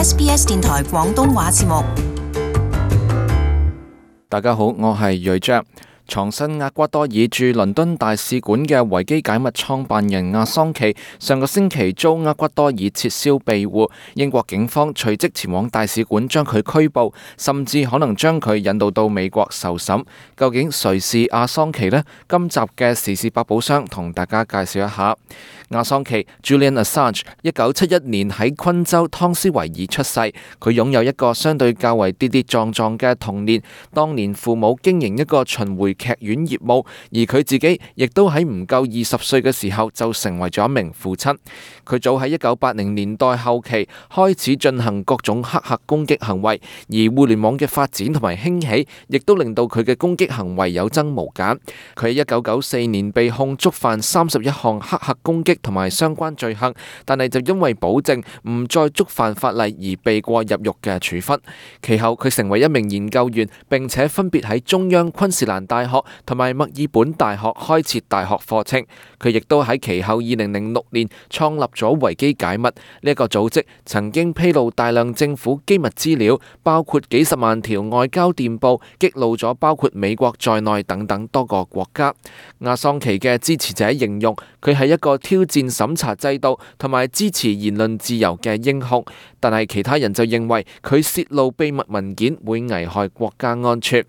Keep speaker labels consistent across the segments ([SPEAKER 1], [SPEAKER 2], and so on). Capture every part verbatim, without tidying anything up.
[SPEAKER 1] S B S 電台廣東話節目。
[SPEAKER 2] 大家好，我係瑞章。藏身厄瓜多爾駐倫敦大使館嘅維基解密創辦人阿桑奇上個星期遭厄瓜多爾撤銷庇護，英國警方隨即前往大使館將佢拘捕，甚至可能將佢引渡到美國受審。究竟誰是阿桑奇呢？今集嘅時事百寶箱同大家介紹一下。阿桑奇 Julian Assange 一九七一年喺昆州湯斯維爾出世，佢擁有一個相對較為跌跌撞撞嘅童年。當年父母經營一個巡迴劇院業務，而佢自己亦都喺唔夠二十歲嘅時候就成為咗一名父親。佢早喺一九八零年代後期開始進行各種黑客攻擊行為，而互聯網嘅發展同埋興起，亦都令到佢嘅攻擊行為有增無減。佢喺一九九四年被控觸犯三十一項黑客攻擊同埋相關罪行，但係就因為保證唔再觸犯法例而避過入獄嘅處分。其後佢成為一名研究員，並且分別喺中央昆士蘭大學同埋墨爾本大學開設大學課程。佢亦都喺其後二零零六年創立咗維基解密呢一個組織，曾經披露大量政府機密資料，包括幾十萬條外交電報，激怒咗包括美國在內等等多個國家。阿桑奇嘅支持者形容佢係一個挑戰審查制度同埋支持言論自由嘅英雄，但係其他人就認為佢洩露秘密文件會危害國家安全。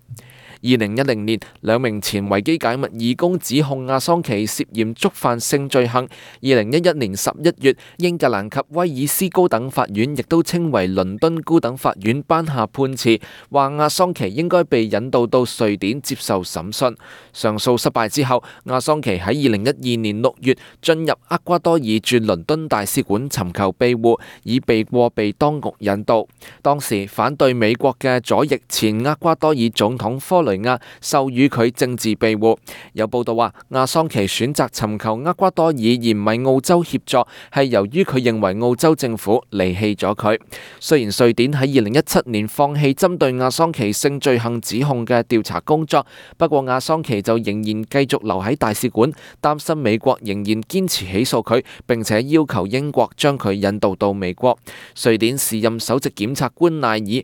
[SPEAKER 2] 二零一零年，兩名前維基解密義工指控阿桑奇涉嫌觸犯性罪行。二零一一年十一月，英格蘭及威爾斯高等法院亦都稱為倫敦高等法院頒下判詞，話阿桑奇應該被引渡到瑞典接受審訊。上訴失敗之後，阿桑奇喺二零一二年六月進入厄瓜多爾駐倫敦大使館尋求庇護，以避過被當局引渡。當時反對美國嘅左翼前厄瓜多爾總統科雷亞授予佢政治庇護。有報道話，阿桑奇選擇尋求厄瓜多爾而唔係澳洲協助，係由於佢認為澳洲政府離棄咗佢。雖然瑞典喺二零一七年放棄針對阿桑奇性罪行指控嘅調查工作，不過阿桑奇就仍然繼續留喺大使館，擔心美國仍然堅持起訴佢，並且要求英國將佢引渡到美國。瑞典時任首席檢察官賴爾喺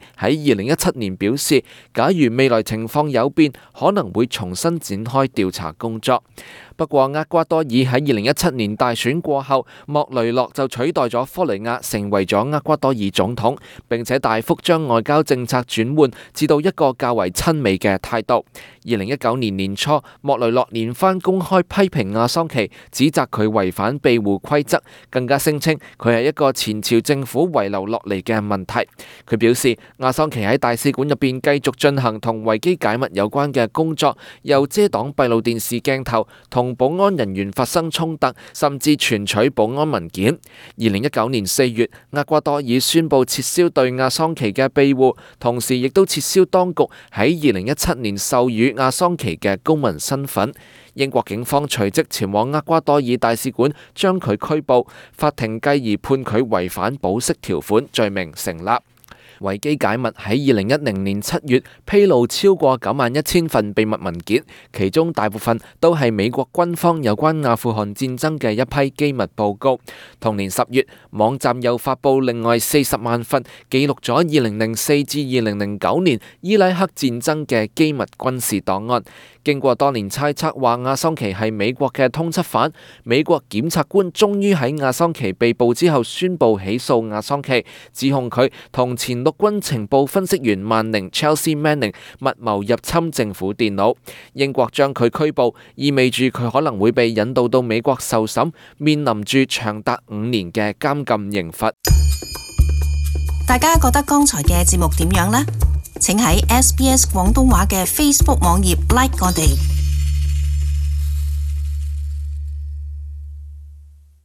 [SPEAKER 2] 二零一七年表示，假如未來情況有變，可能會重新展開調查工作。不過厄瓜多爾喺二零一七年大選過後，莫雷諾就取代咗科雷亞成為咗厄瓜多爾總統，並且大幅將外交政策轉換至到一個較為親美嘅態度。二零一九年年初，莫雷諾連番公開批評阿桑奇，指責佢違反庇護規則，更加聲稱佢係一個前朝政府遺留落嚟嘅問題。佢表示，阿桑奇喺大使館入邊繼續進行同維基解密有關嘅工作，又遮擋閉路電視鏡頭，同保安人員發生衝突，甚至存取保安文件。二零一九年四月，厄瓜多爾宣布撤銷對阿桑奇嘅庇護，同時亦都撤銷當局喺二零一七年授予阿桑奇嘅公民身份。英國警方隨即前往厄瓜多爾大使館將佢拘捕，法庭繼而判佢違反保釋條款罪名成立。維基解密喺二零一零年七月披露超過九萬一千份秘密文件，其中大部分都係美國軍方有關阿富汗戰爭嘅一批機密報告。同年十月，網站又發布另外四十萬份記錄咗二零零四至二零零九年伊拉克戰爭嘅機密軍事檔案。經過多年猜測話阿桑奇係美國嘅通緝犯，美國檢察官終於喺阿桑奇被捕之後宣布起訴阿桑奇，指控佢同前陸軍情報分析員萬寧 Chelsea Manning 密謀入侵政府電腦。英國將佢拘捕，意味住佢可能會被引渡到美國受審，面臨住長達五年嘅監禁刑罰。
[SPEAKER 1] 大家覺得剛才嘅節目點樣呢？請喺 S B S 廣東話嘅 Facebook 網頁 like 我哋。